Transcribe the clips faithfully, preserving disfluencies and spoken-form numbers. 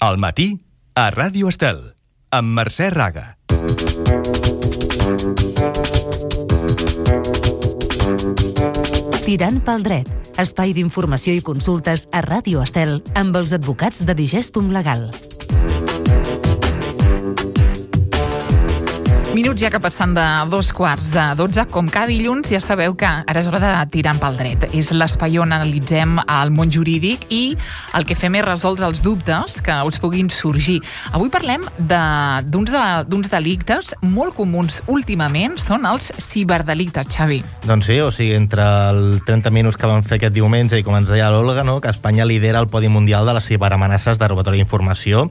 Al matí, a Ràdio Estel, amb Mercè Raga. Tirant pel dret, espai d'informació i consultes a Ràdio Estel amb els advocats de Digestum Legal. Minuts ja que passen de dos quarts de dotze, com cada dilluns ja sabeu que ara és hora de tirar pel dret. És l'espai on analitzem el món jurídic i el que fem és resoldre els dubtes que us puguin sorgir. Avui parlem d'uns de, d'uns delictes molt comuns últimament, són els ciberdelictes, Xavi. Doncs sí, o sigui, entre el trenta minuts que vam fer aquest diumenge i com ens deia l'Olga, no, que Espanya lidera el podi mundial de les ciberamenaces de robatori d'informació.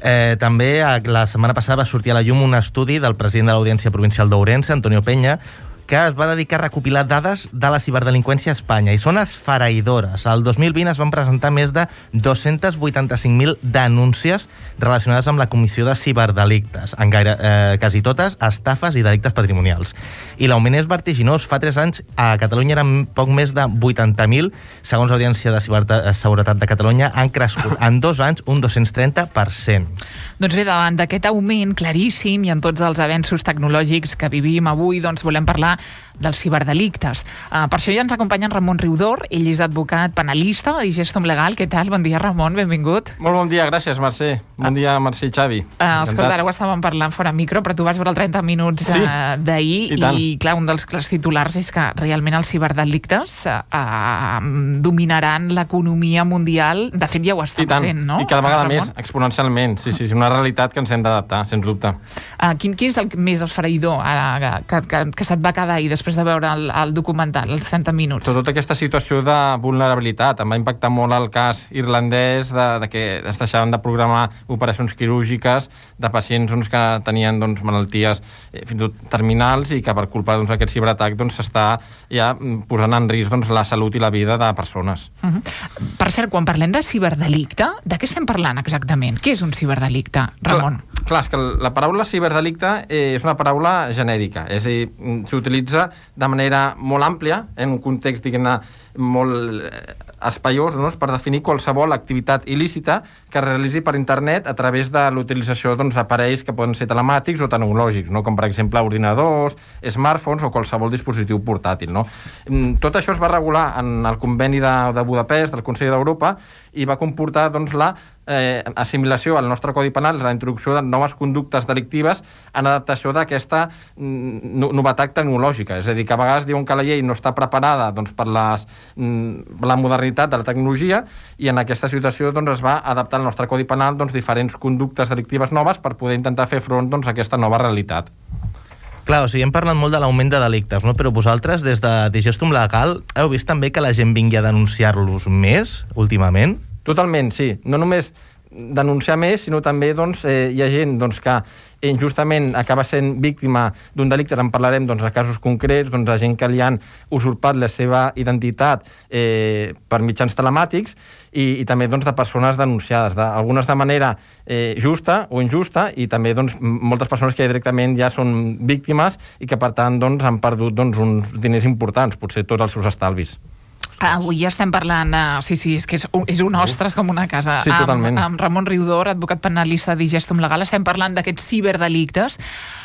Eh, també la setmana passada va sortir a la llum un estudi del president de l'Audiència Provincial d'Ourense, Antonio Peña, que es va dedicar a recopilar dades de la ciberdelinqüència a Espanya, i són esfereïdores. El dos mil vint es van presentar més de dos-cents vuitanta-cinc mil denúncies relacionades amb la comissió de ciberdelictes, en gaire, eh, quasi totes estafes i delictes patrimonials. I l'augment és vertiginós. Fa tres anys a Catalunya eren poc més de vuitanta mil, segons l'Audiència de Ciberseguretat de Catalunya, han crescut en dos anys un dos-cents trenta per cent. Doncs bé, davant d'aquest augment claríssim i en tots els avenços tecnològics que vivim avui, doncs volem parlar dels ciberdelictes. Uh, per això ja ens acompanya en Ramon Riudor, ell és advocat penalista de Digestum Legal. Què tal? Bon dia, Ramon, benvingut. Molt bon dia, gràcies, Mercè. Bon ah. dia, Mercè i Xavi. Uh, escolta, ara ho estàvem parlant fora micro, però tu vas veure el trenta minuts sí. uh, d'ahir i, i, clar, un dels clars titulars és que realment els ciberdelictes uh, uh, dominaran l'economia mundial. De fet, ja ho estan fent, no? I cada vegada Ramon? més, exponencialment. Sí, sí, és una realitat que ens hem d'adaptar, sens dubte. Uh, quin, quin és el més esfereïdor ara, que, que, que se't va quedar ahir després de veure el, el documental, els trenta minuts? Tota aquesta situació de vulnerabilitat. Em va impactar molt el cas irlandès de, de que es deixaven de programar operacions quirúrgiques de pacients doncs, que tenien doncs, malalties eh, fins i tot terminals i que per culpa doncs, d'aquest ciberatac doncs, s'està ja posant en risc doncs, la salut i la vida de persones. Uh-huh. Per cert, quan parlem de ciberdelicte, de què estem parlant exactament? Què és un ciberdelicte, Ramon? Clar, clar, és que la paraula ciberdelicte eh, és una paraula genèrica, és a dir, s'utilitza de manera molt àmplia, en un context, diguem-ne, molt espaiós, no? Per definir qualsevol activitat il·lícita que es realitzi per internet a través de l'utilització doncs, d'aparells que poden ser telemàtics o tecnològics, no? Com per exemple ordinadors, smartphones o qualsevol dispositiu portàtil. No? Tot això es va regular en el conveni de, de Budapest, del Consell d'Europa, i va comportar doncs, la eh, assimilació al nostre Codi Penal, la introducció de noves conductes delictives en adaptació d'aquesta mm, novetat tecnològica. És a dir, que a vegades diuen que la llei no està preparada doncs, per les la modernitat de la tecnologia i en aquesta situació doncs, es va adaptar al nostre Codi Penal doncs, diferents conductes delictives noves per poder intentar fer front doncs, a aquesta nova realitat. Clar, o sigui, hem parlat molt de l'augment de delictes, no? Però vosaltres, des de Digestum Legal, heu vist també que la gent vingui a denunciar-los més, últimament? Totalment, sí. No només denunciar més, sinó també doncs, eh, hi ha gent doncs, que injustament acaba sent víctima d'un delicte, en parlarem doncs, de casos concrets, doncs, de gent que li han usurpat la seva identitat eh, per mitjans telemàtics i, i també doncs, de persones denunciades, de, algunes de manera eh, justa o injusta, i també doncs, moltes persones que directament ja són víctimes i que per tant doncs, han perdut doncs, uns diners importants, potser tots els seus estalvis. Avui ja estem parlant, uh, sí, sí, és que és un, és un ostres com una casa. Sí, totalment. Amb, amb Ramon Riudor, advocat penalista de Digestum Legal, estem parlant d'aquests ciberdelictes.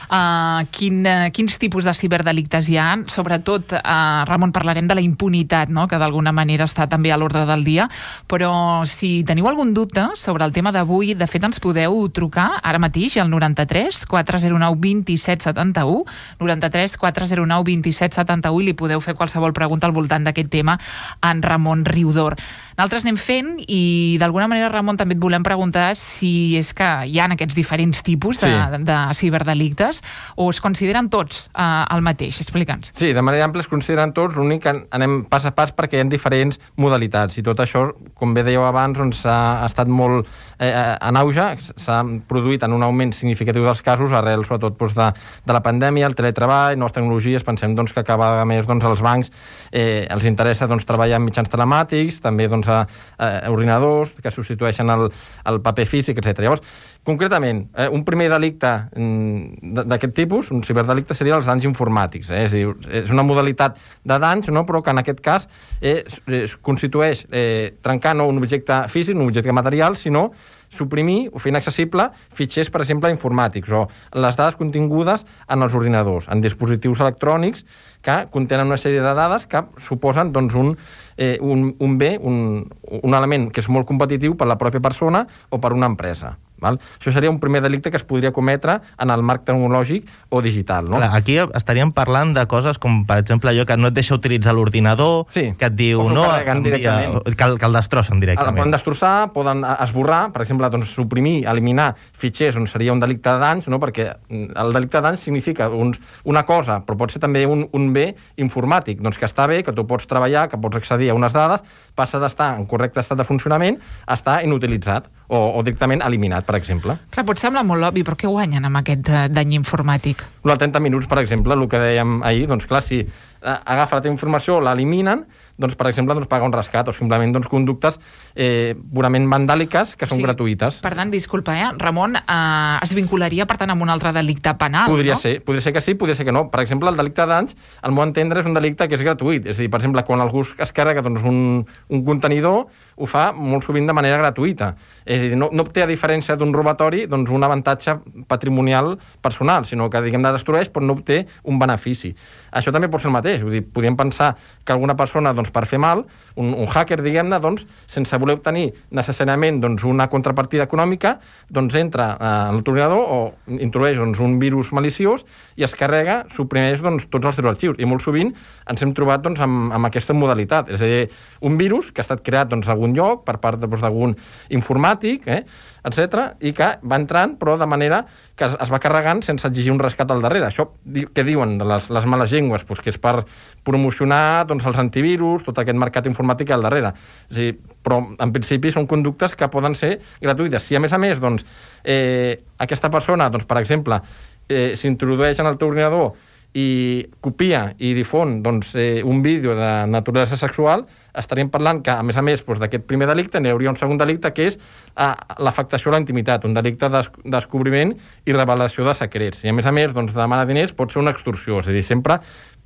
Uh, quin, uh, quins tipus de ciberdelictes hi ha? Sobretot, uh, Ramon, parlarem de la impunitat, no? Que d'alguna manera està també a l'ordre del dia, però si teniu algun dubte sobre el tema d'avui, de fet ens podeu trucar ara mateix al noranta-tres quatre zero nou vint-i-set setanta-u, noranta-tres quatre zero nou vint-i-set setanta-u, i li podeu fer qualsevol pregunta al voltant d'aquest tema en Ramon Riudor. Nosaltres anem fent i d'alguna manera, Ramon, també et volem preguntar si és que hi ha aquests diferents tipus de, sí. de, de ciberdelictes o es consideren tots eh, el mateix? Explica'ns. Sí, de manera àmplia es consideren tots, l'únic que anem pas a pas perquè hi ha diferents modalitats i tot això, com bé dèieu abans, doncs, ha estat molt eh, en auge, s'ha produït en un augment significatiu dels casos arrel sobretot doncs, de, de la pandèmia, el teletreball, noves tecnologies. Pensem doncs, que cada vegada més doncs, als bancs eh, els interessa doncs, treballar amb mitjans telemàtics, també doncs, a, a ordinadors que substitueixen el, el paper físic, etcètera. Llavors, concretament, eh, un primer delicte mm, d'aquest tipus, un ciberdelicte, seria els danys informàtics. Eh? És, dir, és una modalitat de danys, no? Però que en aquest cas eh, es constitueix eh, trencar no un objecte físic, un objecte material, sinó suprimir o fer inaccessible fitxers, per exemple, informàtics o les dades contingudes en els ordinadors, en dispositius electrònics que contenen una sèrie de dades que suposen doncs, un, eh, un, un bé, un, un element que és molt competitiu per la pròpia persona o per una empresa. Val? Això seria un primer delicte que es podria cometre en el marc tecnològic o digital. No? Clar, aquí estaríem parlant de coses com, per exemple, allò que no et deixa utilitzar l'ordinador, sí. que et diu no, envia, que, el, que el destrossen directament. El poden destrossar, poden esborrar, per exemple, doncs, suprimir, eliminar fitxers on seria un delicte de danys, no? Perquè el delicte de danys significa uns, una cosa, però pot ser també un, un bé informàtic, doncs que està bé, que tu pots treballar, que pots accedir a unes dades, passa d'estar en correcte estat de funcionament a estar inutilitzat o, o directament eliminat, per exemple. Clar, pot semblar molt obvi, però què guanyen amb aquest dany informàtic? Els trenta minuts, per exemple, el que dèiem ahir, doncs clar, si agafa la teva informació, l'eliminen, doncs, per exemple, doncs, paga un rescat o simplement doncs, conductes eh, purament vandàliques que són sí. gratuïtes. Per tant, disculpa, eh? Ramon, eh, es vincularia, per tant, amb un altre delicte penal, podria no? Ser, podria ser que sí, podria ser que no. Per exemple, el delicte de danys, al meu entendre, és un delicte que és gratuït. És a dir, per exemple, quan algú es carrega doncs, un, un contenidor, ho fa molt sovint de manera gratuïta. És a dir, no, no té, a diferència d'un robatori, doncs, un avantatge patrimonial personal, sinó que, diguem, de destrueix, però no obté un benefici. Això també pot ser el mateix. Vull dir, podríem pensar que alguna persona, doncs, per fer mal, un, un hacker, diguem-ne, doncs, sense voler obtenir necessàriament doncs, una contrapartida econòmica, doncs entra en l'ordinador o introdueix doncs, un virus maliciós i es carrega, suprimeix doncs, tots els seus arxius. I molt sovint ens hem trobat doncs, amb, amb aquesta modalitat. És a dir, un virus que ha estat creat doncs, a algun lloc per part doncs, d'algun informàtic, eh, etcètera, i que va entrant, però de manera que es, es va carregant sense exigir un rescat al darrere. Això que diuen de les, les males llengües, doncs, que és per promocionar doncs, els antivirus, tot aquest mercat informàtic al darrere. És a dir, però en principi són conductes que poden ser gratuïtes. Si a més a més doncs, eh, aquesta persona, doncs, per exemple, eh, s'introdueix en el teu ordinador i copia i difon doncs, eh, un vídeo de naturalesa sexual, estaríem parlant que, a més a més, doncs, d'aquest primer delicte n'hi hauria un segon delicte que és eh, l'afectació a la intimitat, un delicte de descobriment i revelació de secrets. I, a més a més, doncs, demanar diners pot ser una extorsió, és a dir, sempre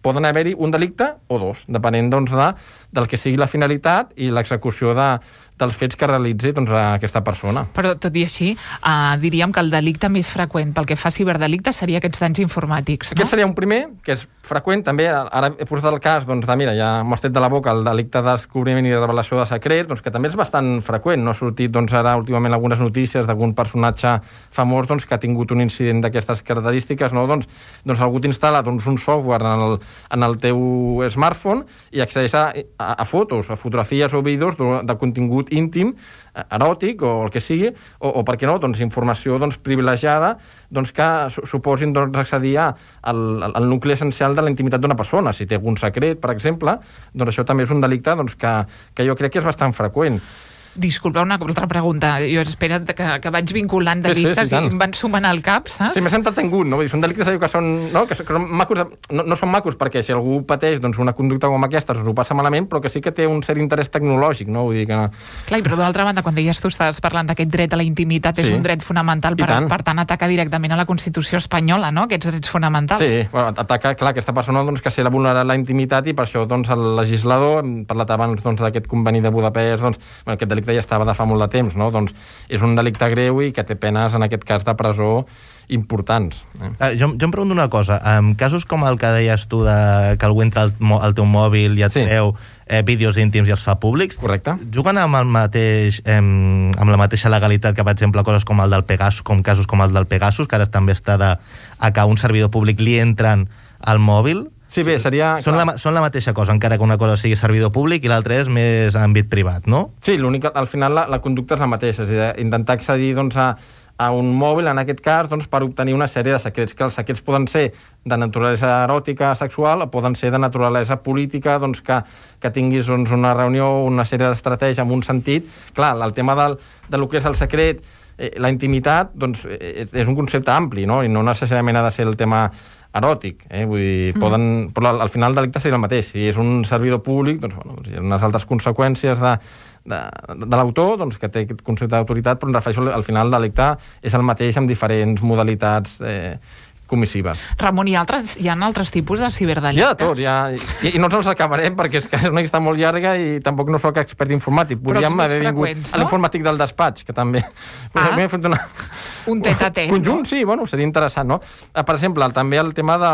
poden haver-hi un delicte o dos, depenent doncs, de, del que sigui la finalitat i l'execució de, dels fets que realitzi doncs, aquesta persona. Però, tot i així, uh, diríem que el delicte més freqüent pel que fa a ciberdelictes seria aquests danys informàtics, no? Aquest seria un primer, que és freqüent, també, ara he posat el cas, doncs, de, mira, ja m'ho has tret de la boca, el delicte de descobriment i de revelació de secrets, doncs, que també és bastant freqüent. No ha sortit, doncs, ara, últimament, algunes notícies d'algun personatge famós, doncs, que ha tingut un incident d'aquestes característiques, no? Doncs, doncs algú t'instal·la, doncs, un software en el, en el teu smartphone i accedeix a, a, a fotos, a fotografies o vídeos de, de contingut íntim, eròtic o el que sigui, o, o per què no, doncs informació doncs, privilegiada doncs, que suposin doncs, accedir al, al nucli essencial de la intimitat d'una persona. Si té algun secret, per exemple, doncs això també és un delicte doncs, que, que jo crec que és bastant freqüent. Disculpa, una altra pregunta. Jo espero que, que vaig vinculant delictes sí, sí, sí, i em van sumant al cap, saps? Sí, m'he sentat tengut, no? Són delictes que són, no? que són macos, no, no són macos perquè si algú pateix doncs, una conducta com aquesta doncs ho passa malament, però que sí que té un cert interès tecnològic, no? Vull dir que... Clar, però d'altra banda, quan deies tu estàs parlant d'aquest dret a la intimitat, és sí. un dret fonamental, per tant. per tant ataca directament a la Constitució espanyola, no? Aquests drets fonamentals. Sí, bueno, ataca, clar, aquesta persona doncs, que se la vulnera la intimitat i per això doncs, el legislador, hem parlat abans doncs, d'aquest conveni de Budapest, doncs, bueno, aquest delicte ja estava de fa molt de temps, no? Doncs és un delicte greu i que té penes, en aquest cas, de presó importants. Eh? Uh, jo, jo em pregunto una cosa. En casos com el que deies tu de que algú entra al, al teu mòbil i et sí. treu eh, vídeos íntims i els fa públics, correcte. Juguen amb el mateix eh, amb la mateixa legalitat que, per exemple, coses com el del Pegasus, com casos com el del Pegasus, que ara també està de a que a un servidor públic li entren al mòbil. Sí, bé, seria... Són la, són la mateixa cosa, encara que una cosa sigui servidor públic i l'altra és més àmbit privat, no? Sí, l'únic, al final la, la conducta és la mateixa, és a dir, intentar accedir doncs, a, a un mòbil, en aquest cas, doncs, per obtenir una sèrie de secrets, que els secrets poden ser de naturalesa eròtica, sexual, o poden ser de naturalesa política, doncs, que, que tinguis doncs, una reunió, una sèrie d'estratègia amb un sentit. Clar, el tema del, de lo que és el secret, eh, la intimitat, doncs, eh, és un concepte ampli, no? I no necessàriament ha de ser el tema eròtic, eh? Vull dir, mm. poden, però al final el delicte seria el mateix. Si és un servidor públic, doncs, bueno, hi ha unes altres conseqüències de, de, de l'autor, doncs, que té aquest concepte d'autoritat, però em refereixo al final el delicte és el mateix amb diferents modalitats eh, comissives. Ramon, hi ha altres, hi ha altres tipus de Hi ciberdelictes? ha de tot, ja, i, i no ens els acabarem perquè és que és una llista molt llarga i tampoc no sóc expert informàtic. Podríem més haver vingut freqüents, a no? l'informàtic del despatx, que també... Ah. Podríem fer una... Un tet-a-tet, conjunt, no? sí, bueno, seria interessant, no? Per exemple, també el tema de,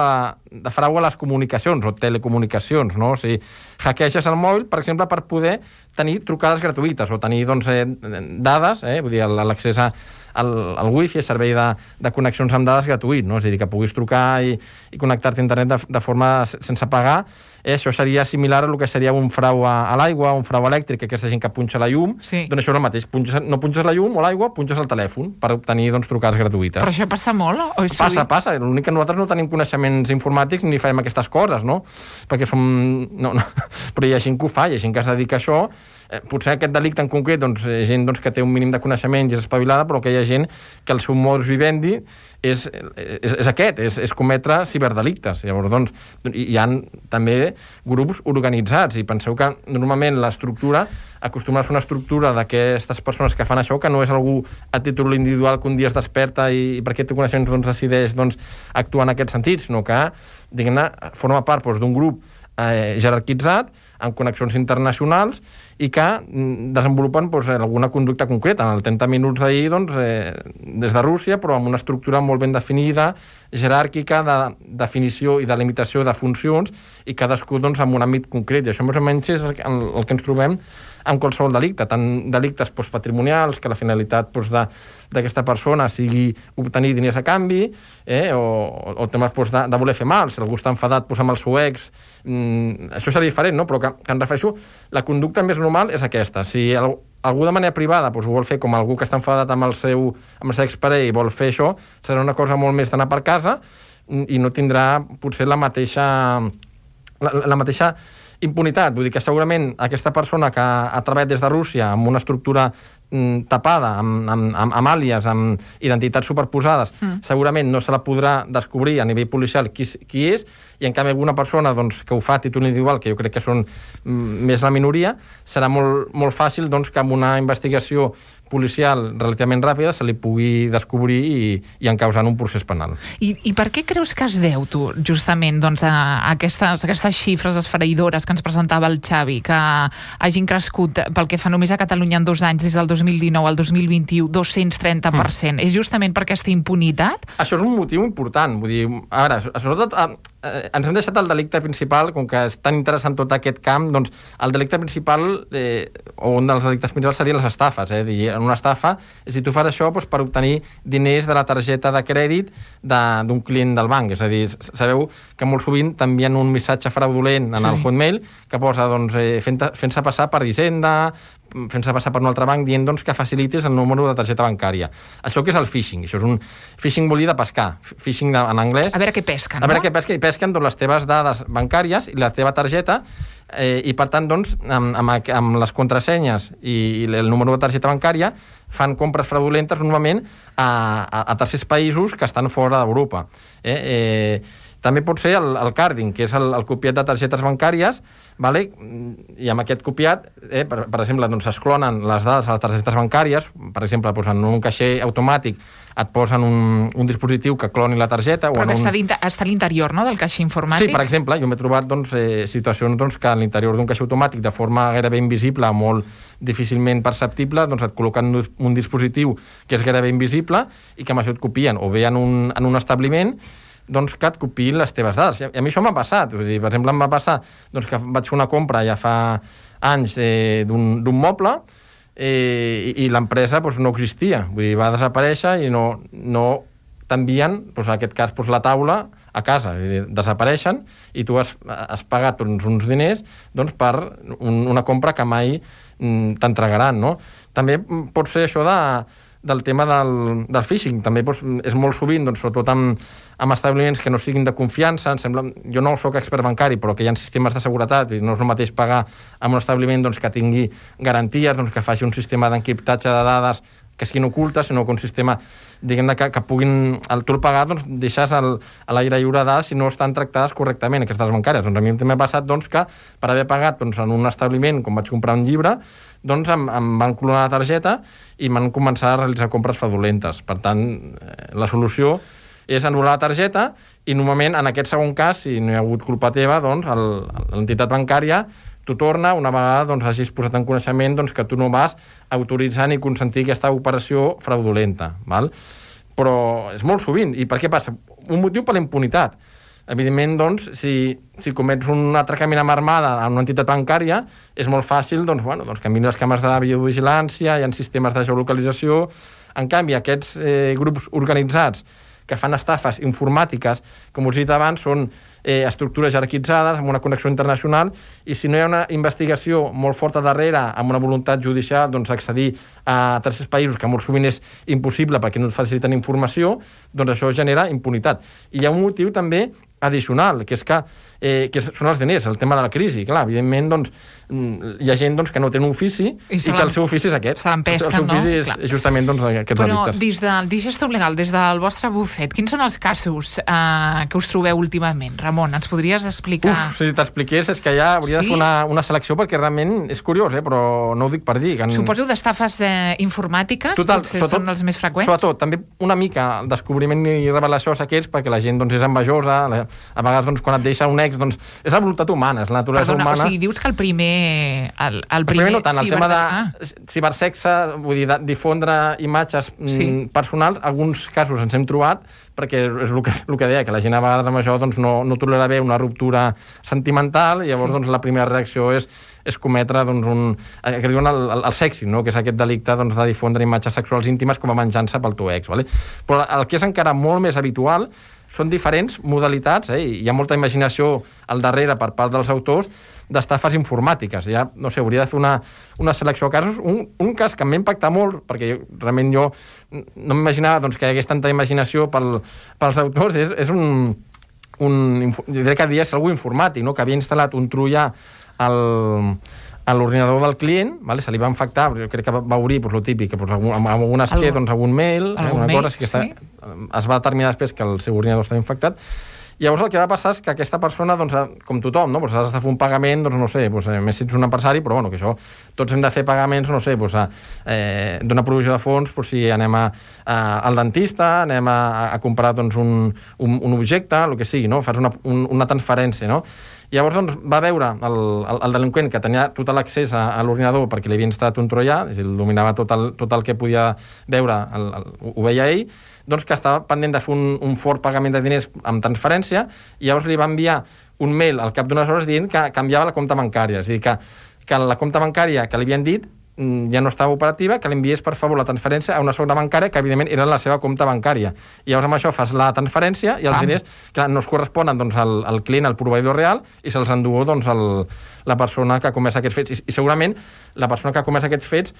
de frau a les comunicacions o telecomunicacions, no? O sigui, hackeges el mòbil, per exemple, per poder tenir trucades gratuïtes o tenir, doncs, eh, dades, eh? Vull dir, l'accés a el, el wifi, el servei de, de connexions amb dades gratuït, no? És a dir, que puguis trucar i, i connectar-te a internet de, de forma sense pagar. Eh, això seria similar a el que seria un frau a, a l'aigua, un frau elèctric, aquesta gent que punxa la llum, Sí. doncs això és el mateix, punxes, no punxes la llum o l'aigua, punxes el telèfon per obtenir, doncs, trucades gratuïtes. Però això passa molt? O és Passa, sovint? passa. L'únic que nosaltres no tenim coneixements informàtics ni farem aquestes coses, no? Perquè som... No, no. Però hi ha gent que ho fa, hi ha gent que es dedica a això. Eh, potser aquest delicte en concret, doncs, hi ha gent doncs, que té un mínim de coneixement i és espavilada, però que hi ha gent que el seu modus vivendi és, és, és aquest, és, és cometre ciberdelictes. Llavors, doncs, hi ha també grups organitzats i penseu que normalment l'estructura acostuma a ser una estructura d'aquestes persones que fan això, que no és algú a títol individual que un dia es desperta i, i perquè té coneixements doncs, decideix doncs, actuar en aquest sentit, sinó que, diguem-ne, forma part doncs, d'un grup eh, jerarquitzat, amb connexions internacionals i que mm, desenvolupen doncs, alguna conducta concreta. En el trenta minuts d'ahir, doncs, eh, des de Rússia, però amb una estructura molt ben definida, jeràrquica, de definició i de limitació de funcions, i cadascú doncs, amb un àmbit concret. I això més o menys és el que, el que ens trobem amb qualsevol delicte, tant delictes doncs, patrimonials, que la finalitat doncs, de, d'aquesta persona sigui obtenir diners a canvi, eh, o, o temes doncs, de, de voler fer mal, si algú està enfadat doncs, amb el seu ex, mm, això seria diferent, no? Però que, que em refereixo, la conducta més normal és aquesta. Si el, algú de manera privada doncs, ho vol fer com algú que està enfadat amb el seu, amb el seu exparell i vol fer això, serà una cosa molt més d'anar per casa i no tindrà potser la mateixa la, la mateixa impunitat. Vull dir que segurament aquesta persona que ha treballat des de Rússia amb una estructura mm, tapada, amb, amb, amb, amb àlies, amb identitats superposades, mm. segurament no se la podrà descobrir a nivell policial qui, qui és, i en canvi alguna persona doncs, que ho fa a títol individual, que jo crec que són mm, més la minoria, serà molt, molt fàcil doncs, que amb una investigació policial relativament ràpida se li pugui descobrir i, i encausar en un procés penal. I, I per què creus que es deu, tu, justament, doncs, a aquestes, aquestes xifres esfereïdores que ens presentava el Xavi, que hagin crescut pel que fa només a Catalunya en dos anys, des del dos mil dinou al dos mil vint-i-u, dos-cents trenta per cent? Mm. És justament per aquesta impunitat? Això és un motiu important. Vull dir, a veure, sobretot eh, ens hem deixat el delicte principal, com que és tan interessant tot aquest camp, doncs el delicte principal, eh, o un dels delictes principals serien les estafes, eh? Dir, en una estafa, si tu fas això doncs, per obtenir diners de la targeta de crèdit d'un client del banc. És a dir, sabeu que molt sovint t'envien un missatge fraudulent en sí. el Hotmail que posa doncs, eh, fent-se fent passar per Hisenda, fent-se passar per un altre banc, dient doncs, que facilitis el número de targeta bancària. Això que és el phishing? Això és un phishing vol dir de pescar. Phishing de, en anglès. A veure què pesquen, A veure no? què pesquen, i pesquen doncs, les teves dades bancàries i la teva targeta, eh, i per tant, doncs, amb, amb, amb les contrasenyes i, i el número de targeta bancària fan compres fraudulentes normalment a, a, a tercers països que estan fora d'Europa. Eh? Eh, també pot ser el, el carding, que és el, el copiat de targetes bancàries, vale? I amb aquest copiat, eh, per, per exemple, doncs, es clonen les dades a les targetes bancàries, per exemple, doncs, en un caixer automàtic et posen un, un dispositiu que cloni la targeta. Però o que un... està, està a l'interior, no?, del caixer informàtic? Sí, per exemple, jo m'he trobat doncs, eh, situacions doncs, que a l'interior d'un caixer automàtic, de forma gairebé invisible, molt difícilment perceptible, doncs et col·loquen un dispositiu que és gairebé invisible i que amb això et copien, o bé en un, en un establiment, doncs que et copiïn les teves dades. I a mi això m'ha passat. Vull dir, per exemple, em va passar doncs, que vaig fer una compra ja fa anys eh, d'un moble eh, i, i l'empresa doncs, no existia. Vull dir, va desaparèixer i no, no t'envien, doncs, en aquest cas, doncs, la taula a casa. Vull dir, desapareixen i tu has, has pagat doncs, uns diners doncs, per un, una compra que mai mm, t'entregaran. No? També pot ser això de del tema del, del phishing. També doncs, és molt sovint, doncs, sobretot amb, amb establiments que no siguin de confiança. Em sembla, jo no soc expert bancari, però que hi ha sistemes de seguretat i no és el mateix pagar amb un establiment doncs, que tingui garanties, doncs, que faci un sistema d'encriptatge de dades que siguin ocultes, sinó que un sistema diguem que, que puguin, al tu el pagar, doncs, deixes el, a l'aire lliure de dades si no estan tractades correctament aquestes bancàries. Doncs a mi també m'ha passat doncs, que per haver pagat doncs, en un establiment, com vaig comprar un llibre, doncs em, em van clonar la targeta i m'han començat a realitzar compres fraudulentes. Per tant, eh, la solució és anul·lar la targeta i normalment en aquest segon cas, si no hi ha hagut culpa teva, doncs el, l'entitat bancària t'ho torna una vegada doncs, hagis posat en coneixement doncs, que tu no vas autoritzar ni consentir aquesta operació fraudulenta. Val? Però és molt sovint. I per què passa? Un motiu per la impunitat. Evidentment, doncs, si, si comets un atracament amb armada en una entitat bancària, és molt fàcil doncs, bueno, doncs, que mirin les càmeres de la videovigilància, hi ha sistemes de geolocalització. En canvi, aquests eh, grups organitzats que fan estafes informàtiques, com us he dit abans, són eh, estructures jerarquitzades, amb una connexió internacional, i si no hi ha una investigació molt forta darrere, amb una voluntat judicial doncs, accedir a tercers països, que molt sovint és impossible perquè no et faciliten informació, doncs això genera impunitat. I hi ha un motiu també addicional, que és que, eh, que són els diners, el tema de la crisi. Clar, evidentment, doncs, hi ha gent doncs, que no té un ofici i, i que el seu ofici és aquest. Se l'empesquen, el seu ofici no? és, és justament doncs, aquests Però delictes. Però des del Digestum Legal, des del vostre bufet, quins són els casos eh, que us trobeu últimament? Ramon, ens podries explicar? Uf, si t'expliqués és que ja hauria sí? de fer una, una selecció perquè realment és curiós, eh? Però no ho dic per dir. Que en... Suposo d'estafes eh, informàtiques, Total, potser són els més freqüents? Sobretot, també una mica el descobriment i revelació d'aquests perquè la gent doncs, és envejosa, la, a vegades doncs, quan et deixa un ex, doncs, és la voluntat humana, és la naturalesa Perdona, humana. O sigui, dius que el primer... El, el, el primer, primer no tant, el ciber... tema de ah. cibersexe, vull dir, de difondre imatges sí. mm, personals, alguns casos ens hem trobat, perquè és el que, el que deia, que la gent a vegades amb això doncs, no, no tolera bé una ruptura sentimental, i llavors sí. doncs, la primera reacció és, és cometre doncs, un, que diuen el, el, el sexting, no? Que és aquest delicte doncs, de difondre imatges sexuals íntimes com a venjança pel teu ex. Vale? Però el que és encara molt més habitual són diferents modalitats, eh? Hi ha molta imaginació al darrere per part dels autors d'estafes informàtiques. Ja, no sé, hauria de fer una, una selecció de casos. Un, un cas que em va impactar molt, perquè jo, realment jo no m'imaginava doncs, que hi hagués tanta imaginació pel, pels autors, és, és un, un... Jo diria que devia ser algú informàtic, no? Que havia instal·lat un troià al... a l'ordinador del client, vale? Se li va infectar, jo crec que va obrir doncs, el típic, doncs, amb, amb algun esquer, doncs, algun mail, eh, una mail, cosa, que està, sí? Es va determinar després que el seu ordinador estava infectat. Llavors el que va passar és que aquesta persona, doncs, com tothom, no? Doncs has de fer un pagament, doncs, no sé, doncs, més si ets un empresari, però bueno, que això, tots hem de fer pagaments, no sé, doncs, eh, d'una provisió de fons, doncs, si anem a, a, al dentista, anem a, a comprar doncs, un, un, un objecte, el que sigui, no? Fas una, un, una transferència, no? Llavors doncs, va veure el, el, el delinqüent que tenia tot l'accés a, a l'ordinador perquè li havia instal·lat un troià, és a dir, el dominava tot el, tot el que podia veure, el, el, ho veia ell, doncs que estava pendent de fer un, un fort pagament de diners amb transferència, i llavors li va enviar un mail al cap d'unes hores dient que canviava la compta bancària, és a dir, que, que la compta bancària que li havien dit ja no estava operativa, que l'enviés per favor la transferència a una segona bancària que evidentment era la seva compta bancària. I llavors amb això fas la transferència i els Pam. diners clar, no es corresponen doncs, al, al client, al proveïdor real, i se'ls enduu doncs, el, la persona que ha comès aquests fets. I, I segurament la persona que ha comès aquests fets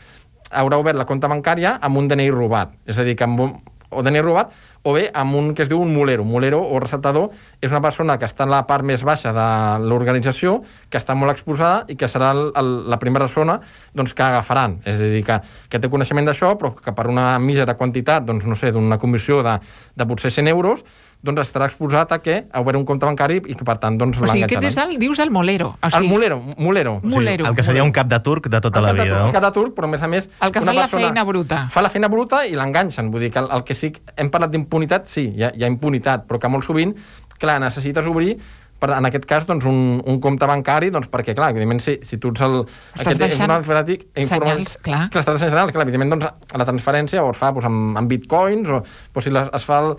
haurà obert la compta bancària amb un D N I robat. És a dir, que amb un, o D N I robat, o bé amb un que es diu un mulero. Mulero o receptador és una persona que està en la part més baixa de l'organització, que està molt exposada i que serà el, el, la primera persona doncs, que agafaran. És a dir, que, que té coneixement d'això, però que per una mísera quantitat, doncs, no sé, d'una comissió de, de potser cent euros, doncs estarà exposat a què? A obrir un compte bancari i que, per tant, doncs, l'enganxaran. O sigui, l'enganxaran. aquest és el, dius el molero. O sigui... El mulero, mulero. mulero. Sí, el que seria un cap de turc de tota el la vida, turc, no? El cap de turc, però a més a més... El que fa la feina bruta. Fa la feina bruta i l'enganxen. Vull dir que el, el que sí... Hem parlat d'impunitat, sí, hi ha, hi ha impunitat, però que molt sovint, clar, necessites obrir per, en aquest cas, doncs, un, un compte bancari, doncs, perquè, clar, evidentment, si, si tu ets el... Estàs deixant informàtic, senyals, clar. Clar, estàs deixant senyals, clar, evidentment, doncs, la transferència o es fa doncs, amb, amb bitcoins, o doncs, si la, es fa el,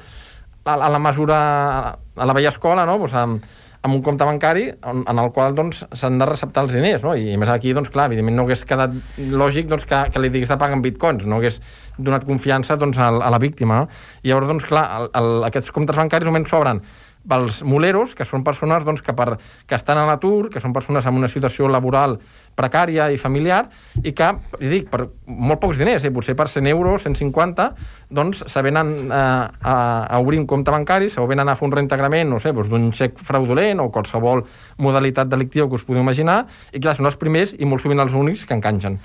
a, a la mesura, a la vella escola, no?, doncs, amb, amb un compte bancari en, en el qual doncs, s'han de receptar els diners, no? I a més aquí, doncs, clar, evidentment no hagués quedat lògic doncs, que, que li digués de pagar en bitcoins, no hagués donat confiança doncs, a, a la víctima, no? I llavors, doncs, clar, el, el, aquests comptes bancaris només s'obren pels muleros, que són persones doncs, que, per, que estan a l'atur, que són persones amb una situació laboral precària i familiar, i que, i dic, per molt pocs diners, eh, potser per cent euros, cent cinquanta, doncs se venen eh, a, a obrir un compte bancari, se venen a fer un reintegrament, no sé, doncs, d'un xec fraudulent o qualsevol modalitat delictiva que us podeu imaginar, i clar, són els primers i molt sovint els únics que enganxen.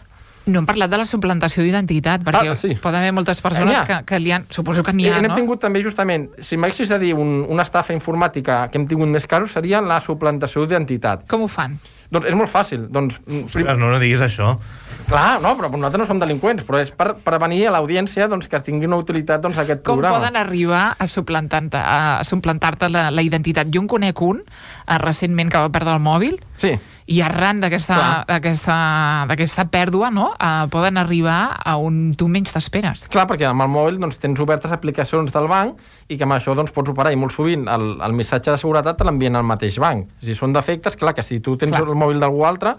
No hem parlat de la suplantació d'identitat, perquè ah, sí. poden haver moltes persones que, que li han... Suposo que n'hi ha, no? Hem tingut també, justament, si m'haguessis de dir un, una estafa informàtica que hem tingut més casos, seria la suplantació d'identitat. Com ho fan? Doncs és molt fàcil. Doncs, Ostres, no, no diguis això. Clar, no, però nosaltres no som delinqüents, però és per prevenir a l'audiència doncs, que tingui una utilitat doncs, aquest Com programa. poden arribar a suplantar-te a suplantar-te la, la identitat? Jo en conec un, eh, recentment, que va perdre el mòbil, Sí. i arran d'aquesta d'aquesta d'aquesta pèrdua, no? Eh, poden arribar a on tu menys t'esperes. Clar, perquè amb el mòbil doncs, tens obertes aplicacions del banc i que amb això doncs, pots operar, i molt sovint el, el missatge de seguretat te l'envien al mateix banc. Si són defectes, clar, que si tu tens Clar. el mòbil d'algú altre,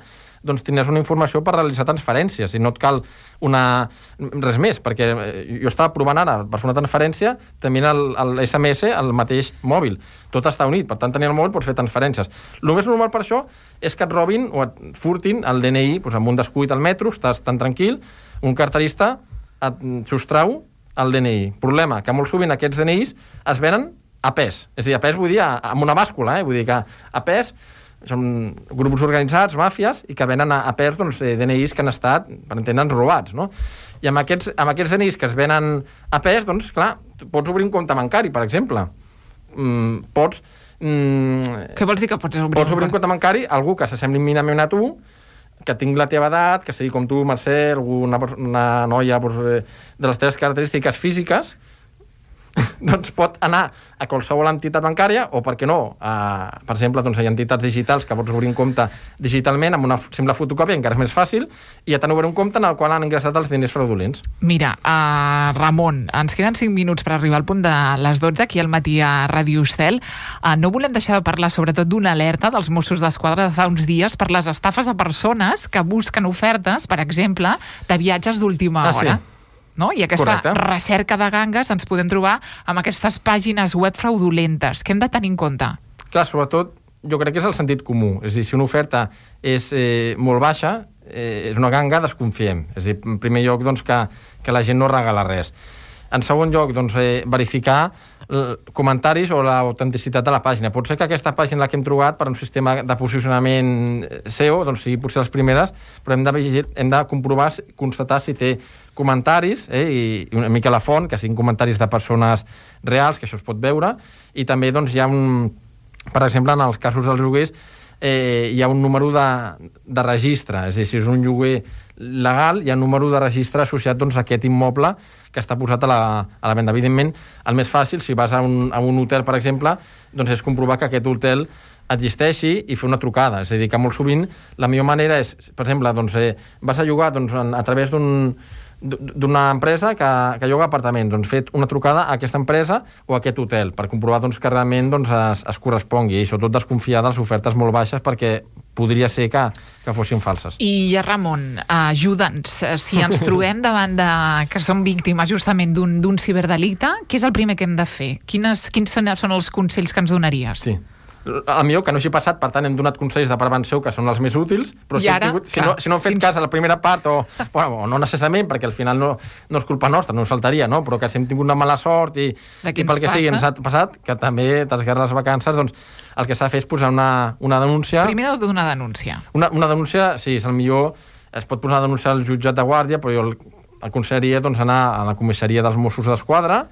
doncs tindràs una informació per realitzar transferències i no et cal una... res més, perquè jo estava provant ara per fer una transferència també el, el esse eme esse al mateix mòbil. Tot està unit, per tant, tenint el mòbil pots fer transferències. El més normal per això és que et robin o et furtin el de ene i doncs, amb un descuit al metro, estàs tan tranquil, un carterista et sostrau el de ene i. Problema, que molt sovint aquests de ene is es venen a pes. És a dir, a pes vull dir amb una bàscula, eh? Vull dir que a pes són grups organitzats, màfies, i que venen a, a pes doncs, de ene is que han estat, per entendre'ns, robats, no? I amb aquests, amb aquests de ene is que es venen a pes, doncs, clar, pots obrir un compte bancari, per exemple. Mm, pots... Mm, Què vols dir que pots obrir? pots obrir un compte bancari a algú que s'assembli mínimament a tu, que tingui la teva edat, que sigui com tu, Mercè, alguna una noia doncs, de les teves característiques físiques, doncs pot anar a qualsevol entitat bancària o, per què no, a, per exemple, doncs, hi ha entitats digitals que pots obrir un compte digitalment amb una simple fotocòpia, encara és més fàcil, i ja t'han obert un compte en el qual han ingressat els diners fraudulents. Mira, uh, Ramon, ens queden cinc minuts per arribar al punt de les dotze aquí al matí a Ràdio Estel. Uh, no volem deixar de parlar sobretot d'una alerta dels Mossos d'Esquadra de fa uns dies per les estafes a persones que busquen ofertes, per exemple, de viatges d'última Ah, sí. hora. No? I aquesta Correcte. recerca de gangues ens podem trobar amb aquestes pàgines web fraudulentes. Què hem de tenir en compte? Clar, sobretot, jo crec que és el sentit comú. És a dir, si una oferta és eh, molt baixa, eh, és una ganga, desconfiem. És a dir, en primer lloc, doncs, que, que la gent no regala res. En segon lloc, doncs, eh, verificar eh, comentaris o l'autenticitat de la pàgina. Pot ser que aquesta pàgina, la que hem trobat per un sistema de posicionament S E O, doncs sigui potser les primeres, però hem de, vigir, hem de comprovar, constatar si té comentaris, eh, i, i una mica la font, que siguin comentaris de persones reals, que això es pot veure, i també doncs, hi ha un... Per exemple, en els casos dels lloguers, eh, hi ha un número de, de registre, és a dir, si és un lloguer legal, hi ha un número de registre associat doncs, a aquest immoble que està posat a la, a la venda. Evidentment, el més fàcil, si vas a un, a un hotel, per exemple, doncs és comprovar que aquest hotel existeixi i fer una trucada. És a dir, que molt sovint la millor manera és, per exemple, doncs, eh, vas a llogar doncs, a, a través d'un d'una empresa que, que lloga apartaments, doncs fet una trucada a aquesta empresa o a aquest hotel per comprovar doncs, que realment doncs, es, es correspongui i sobretot desconfiar de les ofertes molt baixes perquè podria ser que, que fossin falses. I Ramon, ajuda'ns, si ens trobem davant de que som víctimes justament d'un ciberdelicte, què és el primer que hem de fer? Quines, quins són els consells que ens donaries? Sí. A millor que no hagi passat, per tant hem donat consells de prevenció que són els més útils, però si, ara, tingut, si, no, si no hem fet si cas a la primera part o, bueno, o no necessàriament, perquè al final no, no és culpa nostra, no ens faltaria, no? Però que si hem tingut una mala sort i, i pel que sigui ens ha passat, que també t'esguerres les vacances, doncs el que s'ha de fer és posar una, una denúncia. Primer heu de donar denúncia. Una, una denúncia, sí, és el millor, es pot posar una denúncia al jutjat de guàrdia, però jo el, aconsellaria doncs, anar a la comissaria dels Mossos d'Esquadra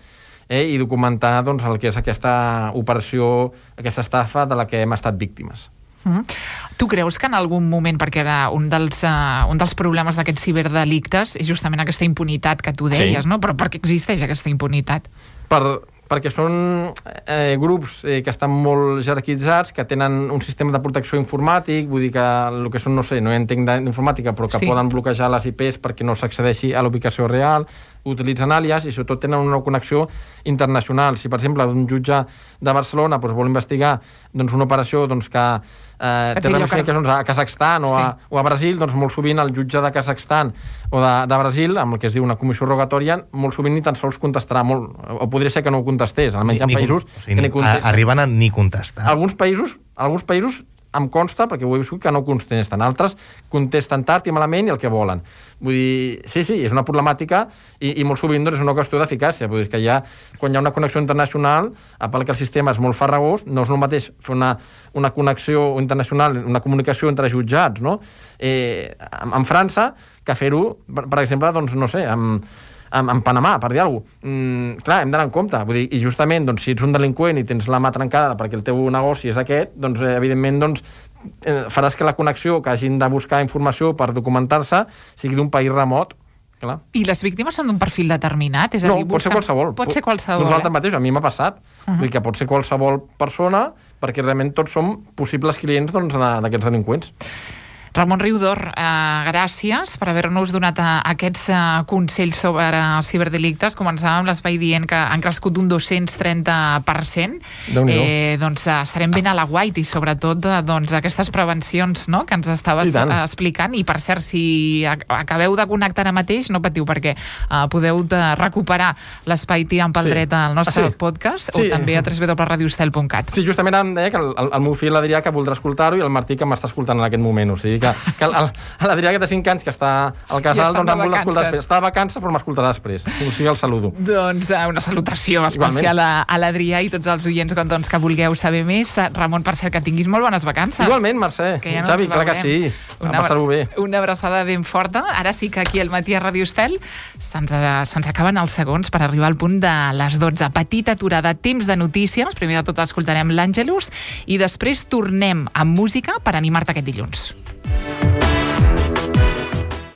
eh, i documentar doncs, el que és aquesta operació, aquesta estafa de la que hem estat víctimes. Mm. Tu creus que en algun moment, perquè era un dels, uh, un dels problemes d'aquests ciberdelictes és justament aquesta impunitat que tu deies, Sí. no? Però per què existeix aquesta impunitat? Per, perquè són eh, grups eh, que estan molt jerarquitzats, que tenen un sistema de protecció informàtic, vull dir que el que són, no sé, no entenc d'informàtica, però que Sí. poden bloquejar les I Pes perquè no s'accedeixi a la ubicació real, utilitzen àlies i sobretot tenen una connexió internacional. Si, per exemple, un jutge de Barcelona doncs, vol investigar doncs, una operació doncs, que eh, té ramificacions a Kazakhstan o, a, Sí. o a Brasil, doncs molt sovint el jutge de Kazakhstan o de, de Brasil, amb el que es diu una comissió rogatòria, molt sovint ni tan sols contestarà, molt, o podria ser que no ho contestés, almenys hi ha països o sigui, que ni contesten. arriben a ni contestar. Alguns països, alguns països em consta, perquè ho he viscut, que no contesten. Altres contesten tard i malament i el que volen. Vull dir, sí, sí, és una problemàtica i, i molt sovint doncs, és una qüestió d'eficàcia. Vull dir que ja, quan hi ha una connexió internacional, a part que el sistema és molt farragós, no és el mateix fer una, una connexió internacional, una comunicació entre jutjats, no? Eh, en, en França, que fer-ho, per, per exemple, doncs, no sé, amb en, en Panamà, per dir alguna cosa. Mm, clar, hem d'anar en compte. Vull dir, i justament, doncs, si ets un delinqüent i tens la mà trencada perquè el teu negoci és aquest, doncs, eh, evidentment, doncs, eh, faràs que la connexió, que hagin de buscar informació per documentar-se, sigui d'un país remot. Clar. I les víctimes són d'un perfil determinat? És a No, dir, pot ser qualsevol. Pot ser qualsevol, Nosaltres eh? mateix, a mi m'ha passat. Uh-huh. Vull dir que pot ser qualsevol persona, perquè realment tots som possibles clients doncs, d'aquests delinqüents. Ramon Riudor, eh, gràcies per haver-nos donat eh, aquests eh, consells sobre eh, ciberdelictes. Començàvem l'espai dient que han crescut un dos-cents trenta per cent. Eh, doncs eh, estarem ben a la guait i sobretot eh, doncs, aquestes prevencions, no?, que ens estaves I eh, explicant. I per cert, si acabeu de connectar ara mateix, no patiu, perquè eh, podeu de recuperar l'espai Tirant pel sí. dret al nostre ah, sí. podcast sí. o també a w w w punt radio estel punt cat. Sí, justament em deia que el, el, el meu fill l'Adrià que voldrà escoltar-ho i el Martí que m'està escoltant en aquest moment. O sigui que, que l'Adrià que té cinc anys que està al casal, doncs em vol escoltar després. Està de vacances però m'escoltarà després. O sigui, el saludo. Doncs una salutació especial a, a l'Adrià i tots els oients doncs, que vulgueu saber més. Ramon, per cert, que tinguis molt bones vacances. Igualment, Mercè. Ja no Xavi, clar que sí. Una, a passar-ho bé. Una abraçada ben forta. Ara sí que aquí al matí a Ràdio Estel se'ns se acaben els segons per arribar al punt de les dotze. Petita aturada, temps de notícies. Primer de tot escoltarem l'Àngelus i després tornem amb música per animar-te aquest dilluns.